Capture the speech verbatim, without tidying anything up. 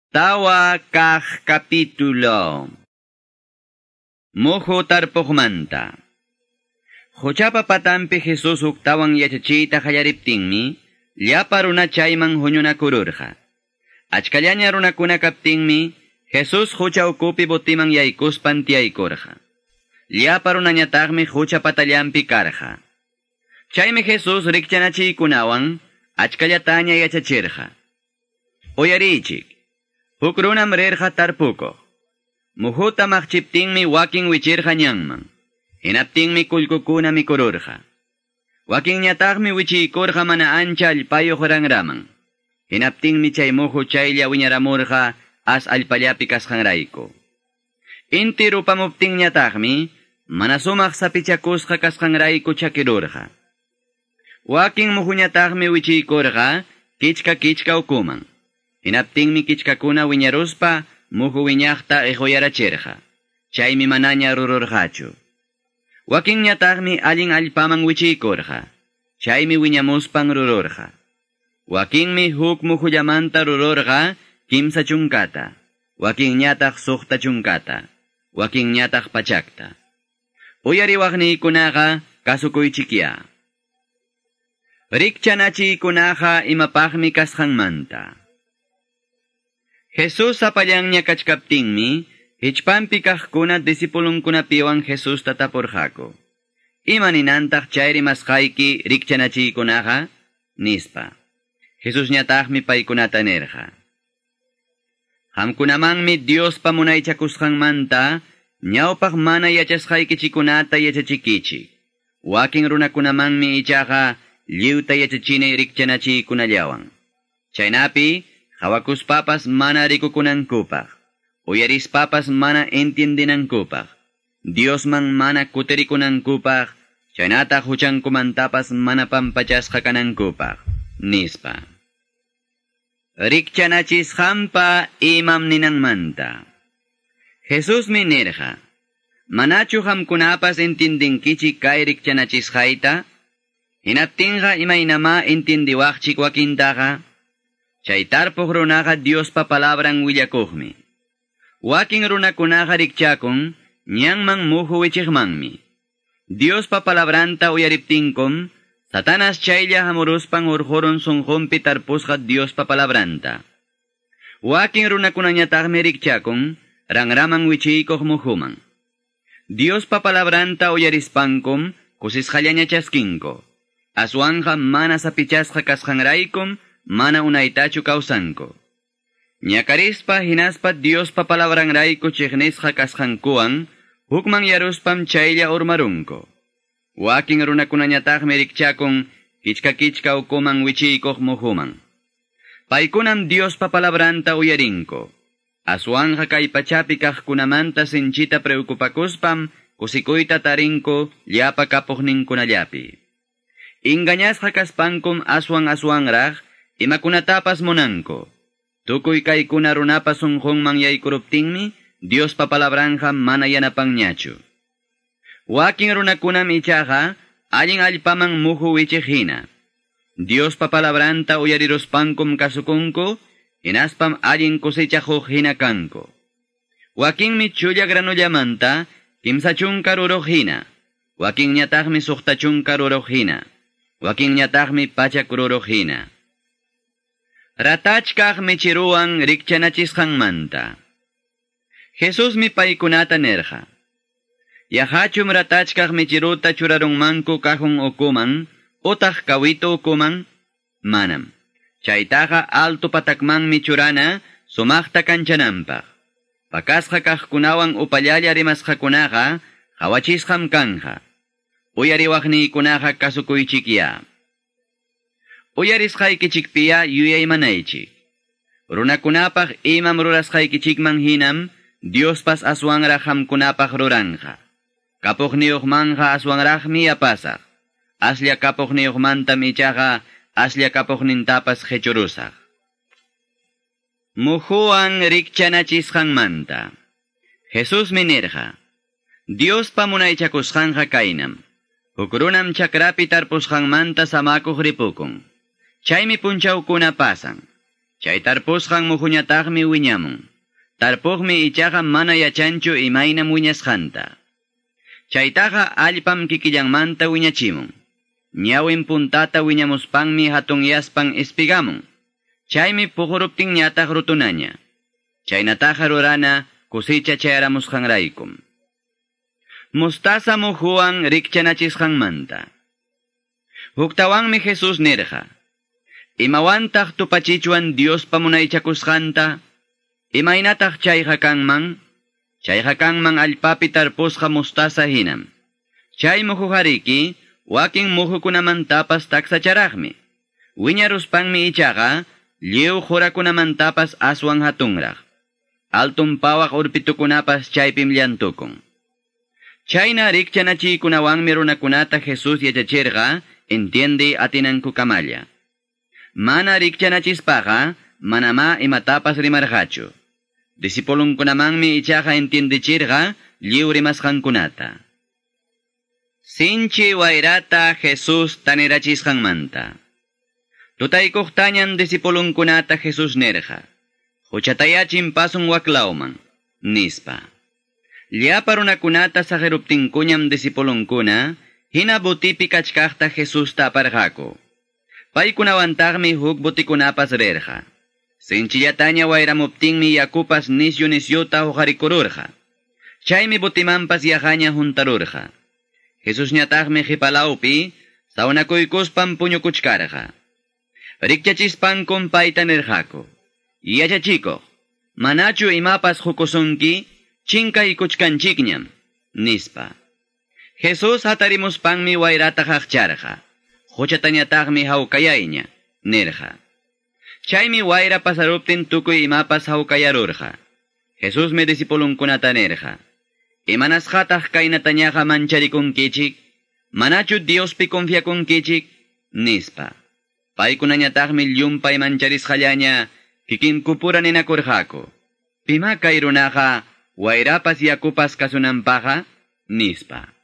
Tawa kaq capítulo. Muhu tarpuqmanta. Quchapa patanpi Jesus huktawan yachachiyta qallariptinmi, llapa runa chayman huñunakururqa. Achkallaña runakuna kaptinmi, Jesus qucha ukupi botiman yaykuspan tiyaykurqa. Llapa runañataqmi qucha patallanpi karqa. Chaymi Jesus rikchanachiykunawan achkallataña yachachirqa. Uyariychik. Huk runam rirqa tarpukuq. Muhuta maqchiptinmi wakin wichirqa ñanman. Hinaptinmi kullkukuna mikururqa. Wakinñataqmi wichiykurqa mana ancha allpayuq ranraman. Hinaptinmi chay muhu chaylla wiñaramurqa as allpallapi kasqanrayku. Inti rupamuptinñataqmi mana sumaq sapichakusqa kasqanrayku chakirurqa. Wakin muhuñataqmi wichiykurqa kichka kichka ukuman. Hinaptinmi kichkakuna wiñaruspa muhu wiñaqta iquyarachirqa. Chaymi manaña rururqachu. Wakinñataqmi allin allpaman wichiykurqa. Chaymi wiñamuspan rururqa. Wakinmi huk muhullamanta rururqa kimsa chunkata. Wakinñataq suqta chunkata. Wakinñataq pachakta. Uyariwaqniykunaqa kasukuychikya. Rikchanachiykunaqa imapaqmi kasqanmanta. Jesus sapallanña kachkaptinmi, hichpanpi kaqkuna discipulunkunapiwan Jesusta tapurqaku. Ima ninantaq chay rimasqayki rikchanachiykunaqa? Nispa. Jesusñataqmi paykunata nirqa. Qamkunamanmi Diospa munaychakusqanmanta ñawpaq mana yachasqaykichikunata yachachikichik. Wakin runakunamanmi ichaqa lliwta yachachini rikchanachiykunallawan. Chaynapi hawakuspapas mana rikukunankupaq, uyarispapas mana entiendinankupaq, Diosman mana kutirikunankupaq, chaynataq huchankumantapas mana pampachasqa kanankupaq, nispa. Rikchanachisqanpa imam ninanmanta. Jesusmi nirqa, manachu qamkunapas entiendinkichik kay rikchanachisqayta? Hinaptinqa imaynamá entiendiwaqchik wakintaqa? Chay tarpuq runaqa Diospa palabran willakuqmi. Wakin runakunaqa rikchakun ñanman muhu wichiqmanmi. Diospa palabranta uyariptinkum, Satanas chaylla hamuruspan hurqurun sunqunpi tarpusqa Diospa palabranta. Wakin runakunañataqmi rikchakun ranraman wichiykuq muhuman. Diospa palabranta uyarispankum kusisqallaña chaskinku. Aswanqa mana sapichasqa kasqanraykum mana unaytachu kawsanku. Ñakarispa hinaspa Diospa palabranrayku chiqnisqa kasqankuwan hukman yaruspam chaylla urmarunku. Wakin runakunañataqmi rikchakun kichka kichka ukuman wichiykuq muhuman. Paykunam Diospa palabranta uyarinku. Aswanja kay pachapi kaqkunamanta sinchita preocupakuspam kusikuyta tarinku llapa kapuqninkunallapi. Engañasqa kaspankum aswan aswanraq imakunatapas munanku. Tukuy kaykuna runapa sunqunman yaykuruptinmi Diospa palabranja mana yanapanñachu. Wakin runakunam ichaqa allin allpaman muhu wichiq hina. Diospa palabranta uyariruspankum kasukunku, hinaspam allin cosechajuq hina kanku. Wakinmi chulla granullamanta kimsa chunka ruruq hina. Wakinñataqmi suqta chunka ruruq hina. Wakinñataqmi pachak ruruq hina. Ratachkaq michiruwan rikchanachisqanmanta. Jesusmi paykunata nirqa. Yahachum ratachkaq michiruta churarunmanku kajun ukuman, utaq kawito ukuman? Manam. Chaytaqa alto patakmanmi churana sumaqta kanchananpaq. Pakasqa kaqkunawan upallalla rimasqakunaqa qhawachisqam kanja. Uyariwaqniykunaqa kasukuychikya. Uyarisqaykichikpiya yuyaymanaychik. Runakunapaq imam rurasqaykichikman hinam Diospas aswanraq qamkunapaq ruranqa. Kapuqniyuqmanqa aswanraqmi yapasaq. Aslla kapuqniyuqmantam ichaqa aslla kapuqnintapas qhichurusaq. Muhuwan rikchanachisqanmanta. Jesusmi nirqa, Diospa munaychakusqanqa kaynam. Huk runam chakrapi tarpusqanmanta samakuq ripukun. Chaymi punchawkuna pasan. Chay tarpusqan muhuñataqmi wiñamun. Tarpuqmi ichaqa mana yachanchu imaynam wiñasqanta. Chaytaqa allpam kikillanmanta wiñachimun. Ñawin puntata wiñamuspanmi hatunyaspan espigamun. Chaymi puquruptinñataq rutunaña. Chaynataqa rurana kusicha chayaramusqanraykum. Mostaza muhuwan rikchanachisqanmanta. Huktawanmi Jesús nirqa. Imawantaq tupachichwan Diospa munaychakusqanta? Imaynataq chayqa kanman? Chayqa kanman allpapi tarpusqa mostaza hinam. Chay muhuqariki wakin muhukunamantapas taksacharaqmi. Wiñaruspanmi ichaqa lliw qurakunamantapas aswan hatunraq. Altun pawaq urpitukunapas chaypim llantukun. Chayna rikchanachiykunawanmi runakunata Jesús yachachirqa entiende atinankukamalla. Mana rikchanachispaqa manamá imatapas rimarqachu. Discipulunkunamanmi ichaqa entiendechirqa lliw rimasqankunata. Sinchi wayrata Jesús tanirachisqanmanta. Tutaykuqtañan discipulunkunata Jesús nirqa. Quchatayá chimpasun waklawman, nispa. Llapa runakunata saqiruptinkuñam discipulunkuna, hina botipi kachkaqta Jesusta aparqaku. Paykunawantaqmi huk botikunapas rirqa. Sinchillataña wayramuptinmi yakupas nisyu nisyuta huqarikururqa. Chaymi botimanpas yaqaña huntarurqa. Jesusñataqmi qhipalawpi sawnakuykuspan puñukuchkarqa. Rikchachispankum payta nirqaku. Yachachikuq, manachu imapas qukusunki? Chinkaykuchkanchikñam, nispa. Jesús hatarimuspanmi wayrata qaqcharqa. Quchatañataqmi hawkayayña, nirqa. Chaymi wayra pasaruptin tukuy imapas hawkayarurqa. Jesusmi discipulunkunata nirqa. Imanasqataq kaynatañaqa mancharikunkichik? Manachu Diospi confiakunkichik? Nispa. Paykunañataqmi llumpay mancharisqallaña kikinkupura ninakurqaku. Pima kay runaqa wayrapas yakupas kasunanpaqa? Nispa.